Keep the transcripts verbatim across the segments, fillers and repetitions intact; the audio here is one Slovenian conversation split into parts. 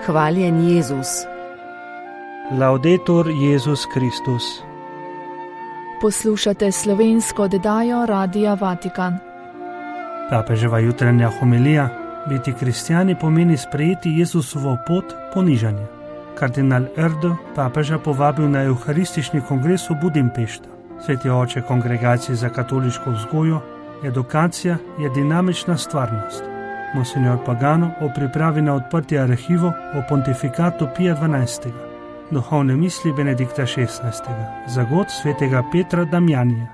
Hvaljen Jezus. Laudetur Jezus Kristus. Poslušate slovensko oddajo Radia Vatikan. Papeževa jutranja homilija: biti kristjani pomeni sprejeti Jezusovo pot ponižanja. Kardinal Erdo papeža povabil na Evharistični kongres v Budimpešti. Sveti oče Kongregacije za katoliško vzgojo: edukacija je dinamična stvarnost. Monsignor Pagano o pripravi na odprtje arhivov o pontifikatu Pija dvanajstega. Duhovne misli Benedikta šestnajstega. Zagod svetega Petra Damjanija.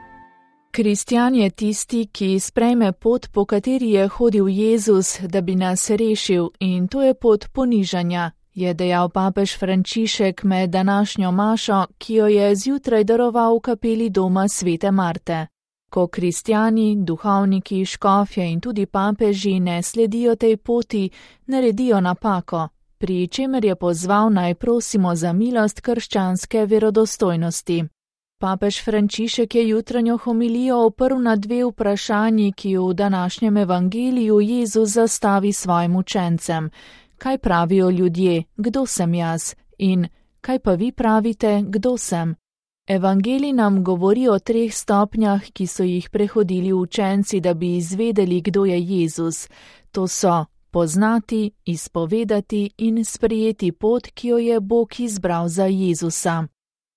Kristjan je tisti, ki sprejme pot, po kateri je hodil Jezus, da bi nas rešil, in to je pot ponižanja, je dejal papež Frančišek med današnjo mašo, ki jo je zjutraj daroval v kapeli doma svete Marte. Ko kristjani, duhovniki, škofje in tudi papeži ne sledijo tej poti, naredijo napako, pri čemer je pozval naj prosimo za milost krščanske verodostojnosti. Papež Frančišek je jutranjo homilijo oprl na dve vprašanji, ki v današnjem evangeliju Jezus zastavi svojim učencem. Kaj pravijo ljudje, kdo sem jaz? In kaj pa vi pravite, kdo sem? Evangelij nam govori o treh stopnjah, ki so jih prehodili učenci, da bi izvedeli, kdo je Jezus. To so poznati, izpovedati in sprejeti pot, ki jo je Bog izbral za Jezusa.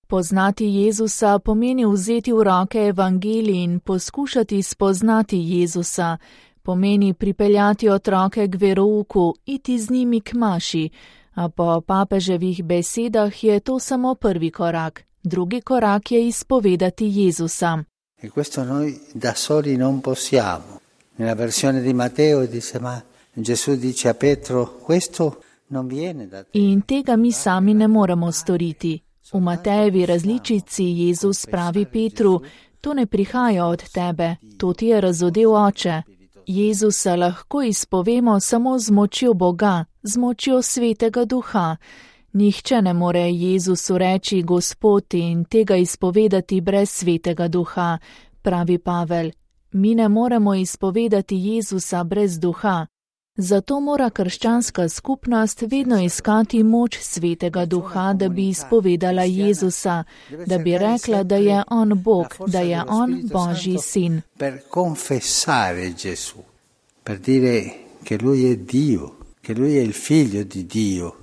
Poznati Jezusa pomeni vzeti v roke evangelij in poskušati spoznati Jezusa. Pomeni pripeljati otroke k verouku, iti z njimi k maši, a po papeževih besedah je to samo prvi korak. Drugi korak je izpovedati Jezusa. E questo noi da soli non possiamo. Nella versione di Matteo dice, ma Gesù dice a Petro, questo non viene da te. In tega mi sami ne moremo storiti. V Matejevi različici Jezus pravi Petru, to ne prihaja od tebe, to ti je razodel oče. Jezusa lahko izpovemo samo z močjo Boga, z močjo Svetega Duha. Nihče ne more Jezusu reči Gospod in tega izpovedati brez Svetega Duha, pravi Pavel. Mi ne moremo izpovedati Jezusa brez Duha. Zato mora krščanska skupnost vedno iskati moč Svetega Duha, da bi izpovedala Jezusa, da bi rekla, da je On Bog, da je On Božji sin. Per confessare Gesù, per dire che Lui è Dio, che Lui è il figlio di Dio.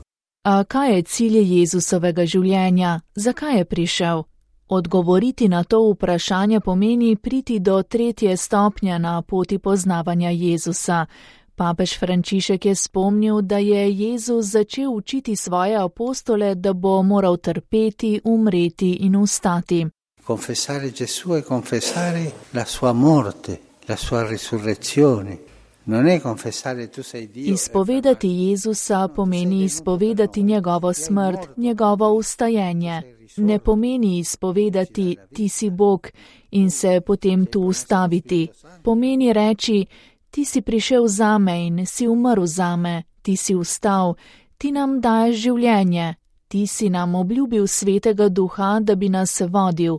A kaj je cilj Jezusovega življenja? Zakaj je prišel? Odgovoriti na to vprašanje pomeni priti do tretje stopnje na poti poznavanja Jezusa. Papež Frančišek je spomnil, da je Jezus začel učiti svoje apostole, da bo moral trpeti, umreti in vstati. Confessare Gesù è confessare la sua morte, la sua risurrezione. Non è confessare tu sei Dio. Izpovedati Jezusa pomeni izpovedati njegovo smrt, njegovo vstajenje. Ne pomeni izpovedati ti si Bog in se potem tu ustaviti. Pomeni reči, ti si prišel zame in si umrl zame, ti si vstal, ti nam daješ življenje, ti si nam obljubil Svetega Duha, da bi nas vodil.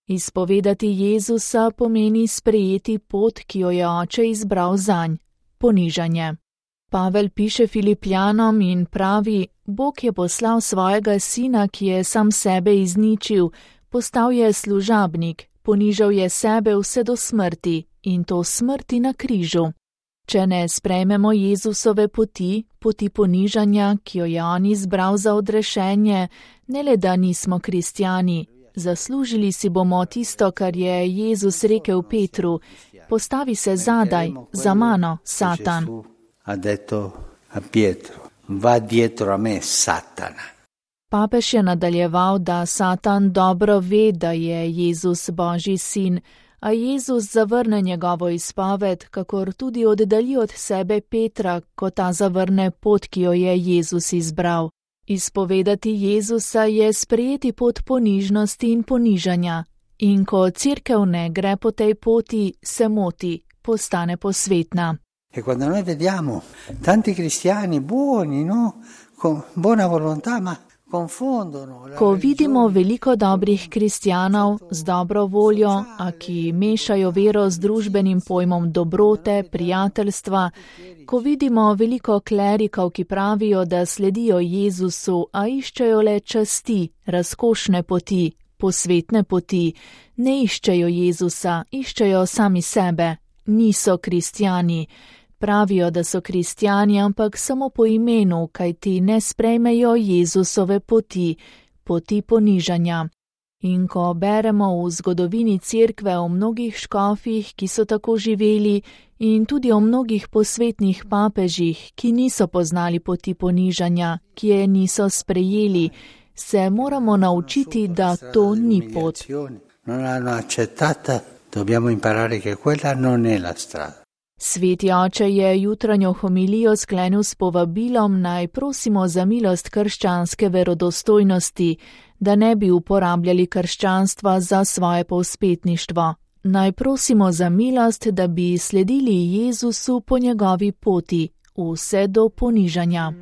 Izpovedati Jezusa pomeni sprejeti pot, ki jo je oče izbral zanj. Ponižanje. Pavel piše Filipljanom in pravi, Bog je poslal svojega sina, ki je sam sebe izničil, postal je služabnik, ponižal je sebe vse do smrti in to smrti na križu. Če ne sprejmemo Jezusove poti, poti ponižanja, ki jo je on izbral za odrešenje, ne le da nismo kristjani, zaslužili si bomo tisto, kar je Jezus rekel Petru, postavi se zadaj, za mano, Satan. Ha detto a Pietro, va dietro a me, Satana. Papež je nadaljeval, da Satan dobro ve, da je Jezus Božji sin, a Jezus zavrne njegovo izpoved, kakor tudi oddalji od sebe Petra, ko ta zavrne pot, ki jo je Jezus izbral. Izpovedati Jezusa je sprejeti pot ponižnosti in ponižanja. In ko cerkev ne gre po tej poti, se moti, postane posvetna. E quando noi vediamo tanti cristiani buoni, no? Con buona volontà, ma Ko vidimo veliko dobrih kristjanov z dobro voljo, a ki mešajo vero z družbenim pojmom dobrote, prijateljstva, ko vidimo veliko klerikov, ki pravijo, da sledijo Jezusu, a iščejo le časti, razkošne poti, posvetne poti, ne iščejo Jezusa, iščejo sami sebe, niso kristjani. Pravijo, da so kristjani, ampak samo po imenu, kajti ne sprejmejo Jezusove poti, poti ponižanja. In ko beremo v zgodovini cerkve o mnogih škofih, ki so tako živeli, in tudi o mnogih posvetnih papežih, ki niso poznali poti ponižanja, ki je niso sprejeli, se moramo naučiti, da to ni pot. Sveti oče je jutranjo homilijo sklenil s povabilom, naj prosimo za milost krščanske verodostojnosti, da ne bi uporabljali krščanstva za svoje povzpetništvo. Naj prosimo za milost, da bi sledili Jezusu po njegovi poti, vse do ponižanja.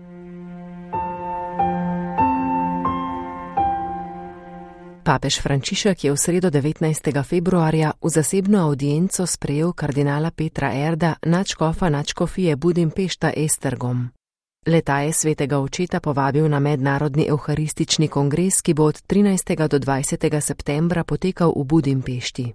Papež Frančišek je v sredo devetnajstega februarja v zasebno avdienco sprejel kardinala Petra Erda, nadškofa nadškofije Budimpešta Esztergom. Le-ta je svetega očeta povabil na mednarodni evharistični kongres, ki bo od trinajstega do dvajsetega septembra potekal v Budimpešti.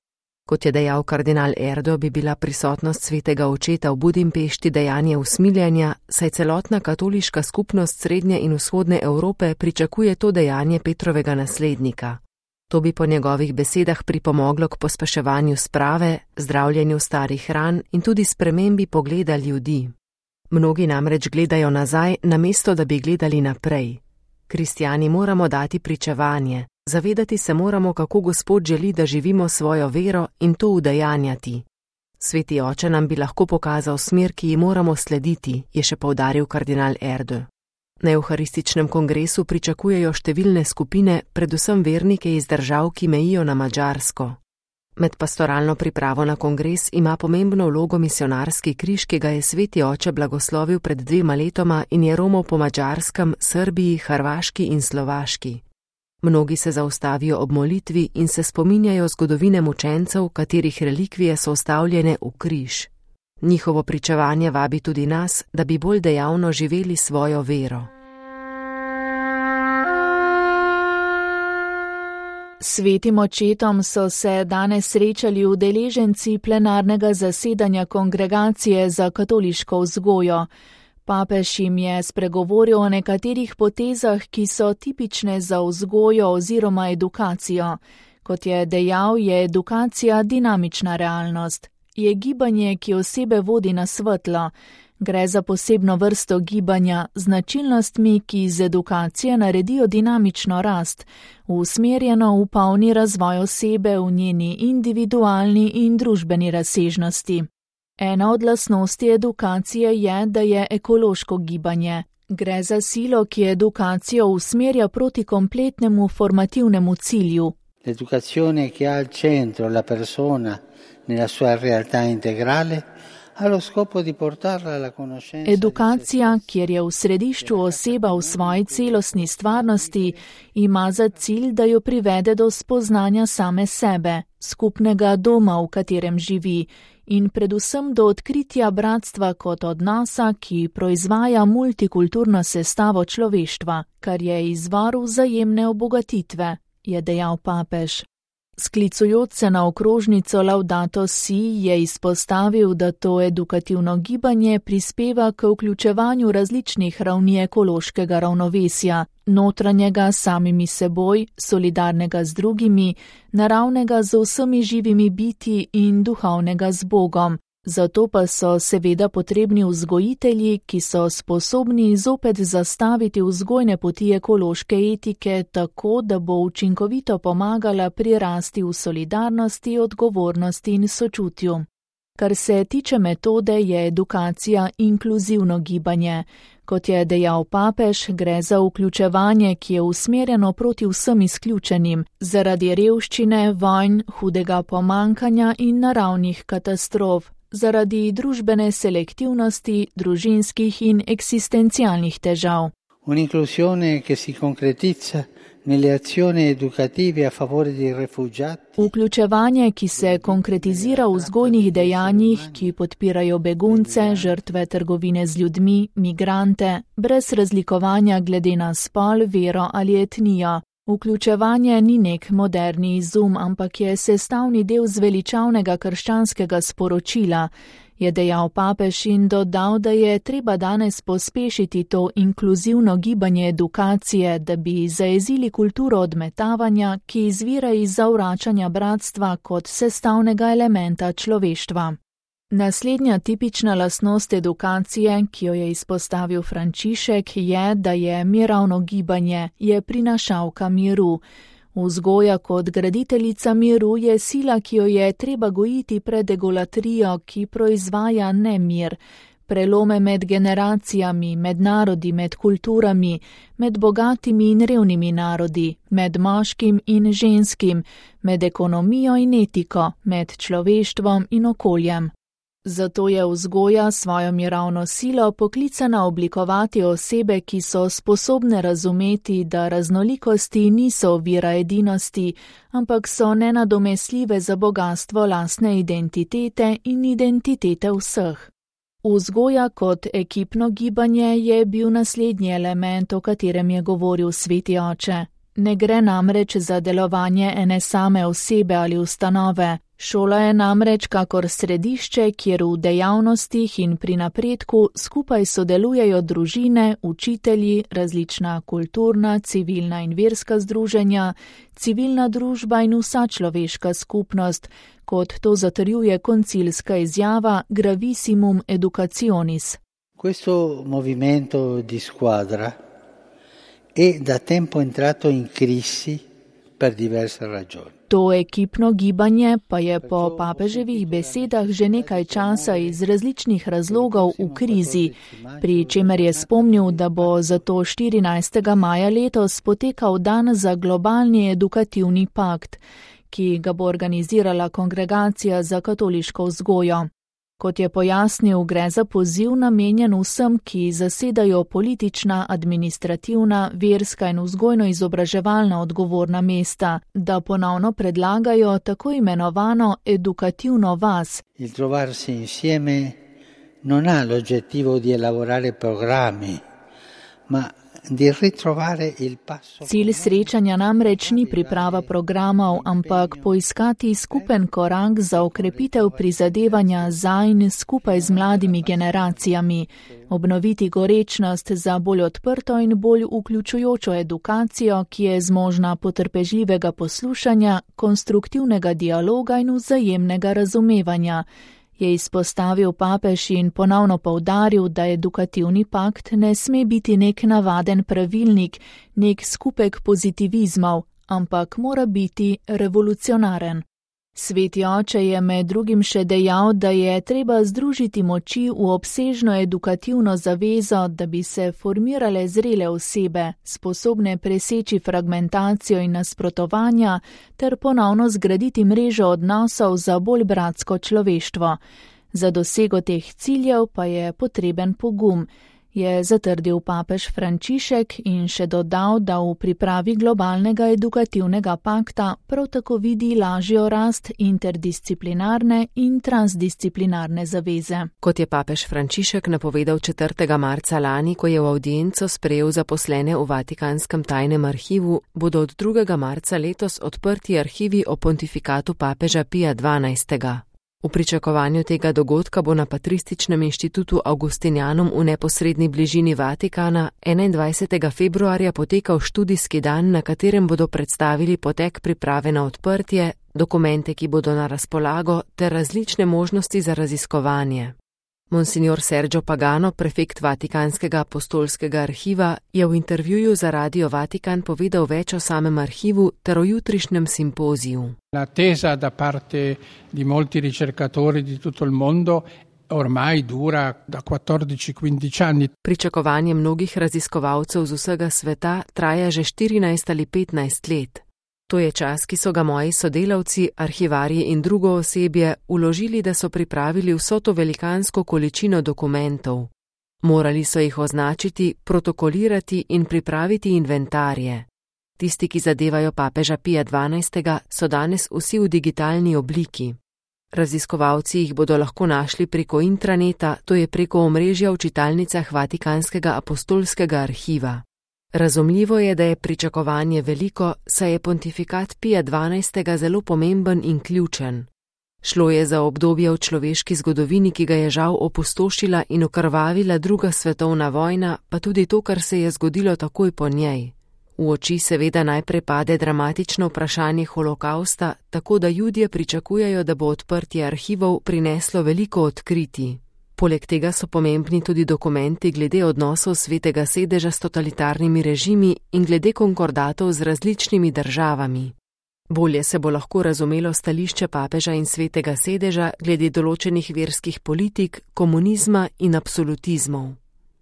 Kot je dejal kardinal Erdo, bi bila prisotnost svetega očeta v Budimpešti dejanje usmiljanja, saj celotna katoliška skupnost srednje in vzhodne Evrope pričakuje to dejanje Petrovega naslednika. To bi po njegovih besedah pripomoglo k pospeševanju sprave, zdravljenju starih ran in tudi spremembi pogleda ljudi. Mnogi namreč gledajo nazaj, namesto da bi gledali naprej. Kristjani moramo dati pričevanje, zavedati se moramo, kako Gospod želi, da živimo svojo vero in to udejanjati. Sveti oče nam bi lahko pokazal smer, ki ji moramo slediti, je še poudaril kardinal Erdo. Na evharističnem kongresu pričakujejo številne skupine, predvsem vernike iz držav, ki mejijo na Madžarsko. Med pastoralno pripravo na kongres ima pomembno vlogo misionarski križ, ki ga je sveti oče blagoslovil pred dvema letoma in je romal po Madžarskem, Srbiji, Hrvaški in Slovaški. Mnogi se zaustavijo ob molitvi in se spominjajo zgodovine mučencev, katerih relikvije so vstavljene v križ. Njihovo pričevanje vabi tudi nas, da bi bolj dejavno živeli svojo vero. Svetim očetom so se danes srečali udeleženci plenarnega zasedanja Kongregacije za katoliško vzgojo. Papež jim je spregovoril o nekaterih potezah, ki so tipične za vzgojo oziroma edukacijo. Kot je dejal, je edukacija dinamična realnost. Je gibanje, ki osebe vodi na svetlo. Gre za posebno vrsto gibanja, značilnostmi, ki iz edukacije naredijo dinamično rast, usmerjeno v polni razvoj osebe v njeni individualni in družbeni razsežnosti. Ena od lastnosti edukacije je, da je ekološko gibanje. Gre za silo, ki edukacijo usmerja proti kompletnemu formativnemu cilju. L'educazione che ha al centro la persona nella sua realtà integrale ha lo scopo di portarla alla conoscenza. Edukacija, kjer je v središču oseba v svoji celostni stvarnosti, ima za cilj, da jo privede do spoznanja same sebe, skupnega doma, v katerem živi, in predvsem do odkritja bratstva kot odnosa, ki proizvaja multikulturno sestavo človeštva, kar je izvor vzajemne obogatitve, je dejal papež. Sklicujoč se na okrožnico Laudato Si je izpostavil, da to edukativno gibanje prispeva k vključevanju različnih ravni ekološkega ravnovesja, notranjega s samimi seboj, solidarnega z drugimi, naravnega z vsemi živimi biti in duhovnega z Bogom. Zato pa so seveda potrebni vzgojitelji, ki so sposobni zopet zastaviti vzgojne poti ekološke etike tako, da bo učinkovito pomagala pri rasti v solidarnosti, odgovornosti in sočutju. Kar se tiče metode, je edukacija inkluzivno gibanje. Kot je dejal papež, gre za vključevanje, ki je usmerjeno proti vsem izključenim, zaradi revščine, vojn, hudega pomankanja in naravnih katastrof, zaradi družbene selektivnosti, družinskih in eksistencialnih težav. un'inclusione che si concretizza nelle azioni educative a favore dei rifugiati. Vključevanje, ki se konkretizira v vzgojnih dejanjih, ki podpirajo begunce, žrtve trgovine z ljudmi, migrante, brez razlikovanja glede na spol, vero ali etnijo. Vključevanje ni nek moderni izum, ampak je sestavni del zveličavnega krščanskega sporočila, je dejal papež in dodal, da je treba danes pospešiti to inkluzivno gibanje edukacije, da bi zajezili kulturo odmetavanja, ki izvira iz zavračanja bratstva kot sestavnega elementa človeštva. Naslednja tipična lastnost edukacije, ki jo je izpostavil Frančišek, je, da je mirovno gibanje, je prinašalka miru. Vzgoja kot graditeljica miru je sila, ki jo je treba gojiti pred egolatrijo, ki proizvaja nemir, prelome med generacijami, med narodi, med kulturami, med bogatimi in revnimi narodi, med moškim in ženskim, med ekonomijo in etiko, med človeštvom in okoljem. Zato je vzgoja svojo mirovno silo poklicana oblikovati osebe, ki so sposobne razumeti, da raznolikosti niso ovira edinosti, ampak so nenadomestljive za bogatstvo lastne identitete in identitete vseh. Vzgoja kot ekipno gibanje je bil naslednji element, o katerem je govoril sveti oče. Ne gre namreč za delovanje ene same osebe ali ustanove. Šola je namreč kakor središče, kjer v dejavnostih in pri napredku skupaj sodelujejo družine, učitelji, različna kulturna, civilna in verska združenja, civilna družba in vsa človeška skupnost, kot to zatrjuje koncilska izjava Gravissimum Educationis. Questo movimento di squadra è da tempo entrato in crisi per diverse ragioni. To ekipno gibanje pa je po papeževih besedah že nekaj časa iz različnih razlogov v krizi, pri čemer je spomnil, da bo zato štirinajstega maja letos potekal dan za globalni edukativni pakt, ki ga bo organizirala Kongregacija za katoliško vzgojo. Kot je pojasnil, gre za poziv namenjen vsem, ki zasedajo politična, administrativna, verska in vzgojno-izobraževalna odgovorna mesta, da ponovno predlagajo tako imenovano edukativno vas. Il trovarsi insieme non ha l'obiettivo di elaborare programmi, ma di ritrovare il passo. Cilj srečanja namreč ni priprava programov, ampak poiskati skupen korak za okrepitev prizadevanja za in skupaj z mladimi generacijami, obnoviti gorečnost za bolj odprto in bolj vključujočo edukacijo, ki je zmožna potrpežljivega poslušanja, konstruktivnega dialoga in vzajemnega razumevanja, je izpostavil papež in ponovno poudaril, da edukativni pakt ne sme biti nek navaden pravilnik, nek skupek pozitivizmov, ampak mora biti revolucionaren. Sveti oče je med drugim še dejal, da je treba združiti moči v obsežno edukativno zavezo, da bi se formirale zrele osebe, sposobne preseči fragmentacijo in nasprotovanja, ter ponovno zgraditi mrežo odnosov za bolj bratsko človeštvo. Za dosego teh ciljev pa je potreben pogum, je zatrdil papež Frančišek in še dodal, da v pripravi globalnega edukativnega pakta prav tako vidi lažjo rast interdisciplinarne in transdisciplinarne zaveze. Kot je papež Frančišek napovedal četrtega marca lani, ko je v avdienco sprejel zaposlene v Vatikanskem tajnem arhivu, bodo od drugega marca letos odprti arhivi o pontifikatu papeža Pija dvanajstega. V pričakovanju tega dogodka bo na Patrističnem inštitutu Augustinianum v neposredni bližini Vatikana enaindvajsetega februarja potekal študijski dan, na katerem bodo predstavili potek priprave na odprtje, dokumente, ki bodo na razpolago, ter različne možnosti za raziskovanje. Monsignor Sergio Pagano, prefekt Vatikanskega apostolskega arhiva, je v intervjuju za Radio Vatikan povedal več o samem arhivu ter o jutrišnjem simpoziju. L'attesa da parte di molti ricercatori di tutto il mondo ormai dura da quattordici quindici anni. Pričakovanje mnogih raziskovalcev z vsega sveta traja že štirinajst ali petnajst let. To je čas, ki so ga moji sodelavci, arhivarji in drugo osebje vložili, da so pripravili vso to velikansko količino dokumentov. Morali so jih označiti, protokolirati in pripraviti inventarje. Tisti, ki zadevajo papeža Pija dvanajstega, so danes vsi v digitalni obliki. Raziskovalci jih bodo lahko našli preko intraneta, to je preko omrežja v čitalnicah Vatikanskega apostolskega arhiva. Razumljivo je, da je pričakovanje veliko, saj je pontifikat Pija dvanajstega zelo pomemben in ključen. Šlo je za obdobje v človeški zgodovini, ki ga je žal opustošila in okrvavila druga svetovna vojna, pa tudi to, kar se je zgodilo takoj po njej. V oči seveda najprej pade dramatično vprašanje holokausta, tako da Judje pričakujejo, da bo odprtje arhivov prineslo veliko odkritij. Poleg tega so pomembni tudi dokumenti glede odnosov Svetega sedeža s totalitarnimi režimi in glede konkordatov z različnimi državami. Bolje se bo lahko razumelo stališče papeža in Svetega sedeža glede določenih verskih politik, komunizma in absolutizmov.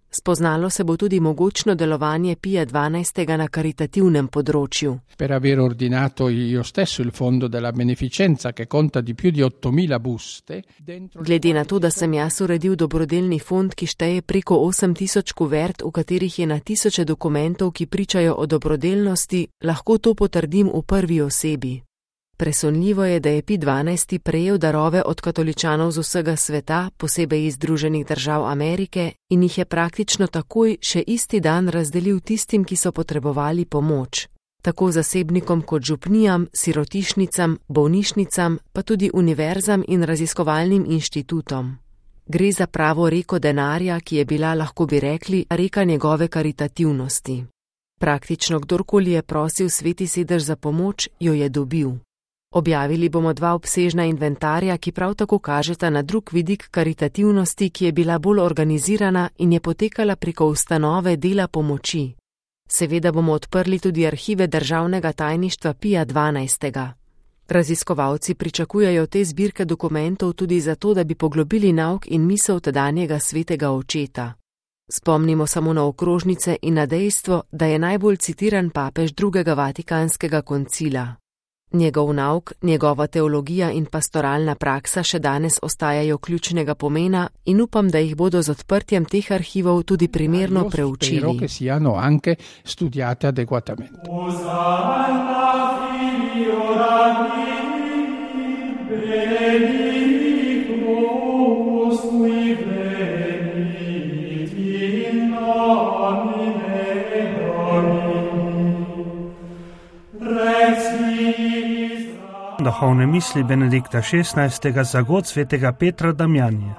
Spoznalo se bo tudi mogočno delovanje Pija dvanajstega na karitativnem področju. Per aver ordinato io stesso il fondo della beneficenza che conta di più di ottomila buste. Glede na to, da sem jaz uredil dobrodelni fond, ki šteje preko osem tisoč kuvert, v katerih je na tisoče dokumentov, ki pričajo o dobrodelnosti, lahko to potrdim v prvi osebi. Presunljivo je, da je Pij dvanajsti prejel darove od katoličanov z vsega sveta, posebej iz Združenih držav Amerike, in jih je praktično takoj še isti dan razdelil tistim, ki so potrebovali pomoč. Tako zasebnikom kot župnijam, sirotišnicam, bolnišnicam, pa tudi univerzam in raziskovalnim inštitutom. Gre za pravo reko denarja, ki je bila, lahko bi rekli, reka njegove karitativnosti. Praktično kdorkoli je prosil Sveti sedež za pomoč, jo je dobil. Objavili bomo dva obsežna inventarja, ki prav tako kažeta na drug vidik karitativnosti, ki je bila bolj organizirana in je potekala preko ustanove dela pomoči. Seveda bomo odprli tudi arhive državnega tajništva Pija dvanajstega. Raziskovalci pričakujejo te zbirke dokumentov tudi zato, da bi poglobili nauk in misel tedanjega svetega očeta. Spomnimo samo na okrožnice in na dejstvo, da je najbolj citiran papež drugega Vatikanskega koncila. Njegov nauk, njegova teologija in pastoralna praksa še danes ostajajo ključnega pomena in upam, da jih bodo z odprtjem teh arhivov tudi primerno preučili. Spero che siano anche studiate adeguatamente. Duhovne misli Benedikta šestnajstega za god svetega Petra Damjanija.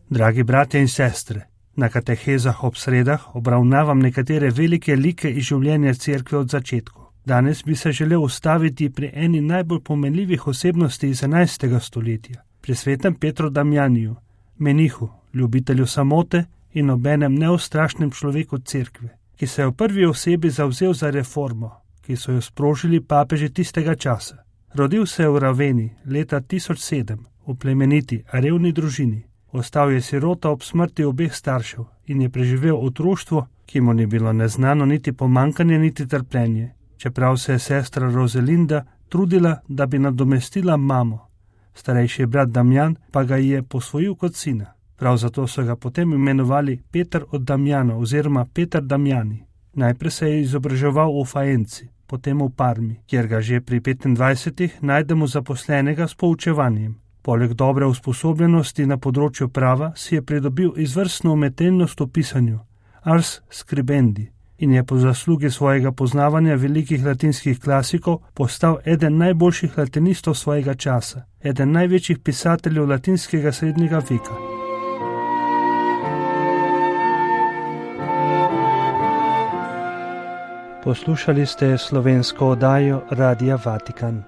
Dragi bratje in sestre, na katehezah ob sredah obravnavam nekatere velike like iz življenja cerkve od začetku. Danes bi se želel ustaviti pri eni najbolj pomenljivih osebnosti iz enajstega stoletja, pri svetem Petru Damjaniju, menihu, ljubitelju samote in obenem neustrašnem človeku cerkve, ki se je v prvi osebi zavzel za reformo, ki so jo sprožili papeži tistega časa. Rodil se je v Raveni leta tisoč sedem, v plemeniti, a revni družini. Ostal je sirota ob smrti obeh staršev in je preživel otroštvo, ki mu ni bilo neznano niti pomankanje, niti trpljenje, čeprav se je sestra Rozelinda trudila, da bi nadomestila mamo. Starejši brat Damjan pa ga je posvojil kot sina. Prav zato so ga potem imenovali Peter od Damjana oziroma Peter Damjani. Najprej se je izobraževal v Faenci, potem v Parmi, kjer ga že pri petindvajsetih najdemo zaposlenega s poučevanjem. Poleg dobre usposobljenosti na področju prava si je pridobil izvrstno umetelnost v pisanju, ars scribendi, in je po zaslugi svojega poznavanja velikih latinskih klasikov postal eden najboljših latinistov svojega časa, eden največjih pisateljev latinskega srednjega veka. Poslušali ste slovensko oddajo Radia Vatikan.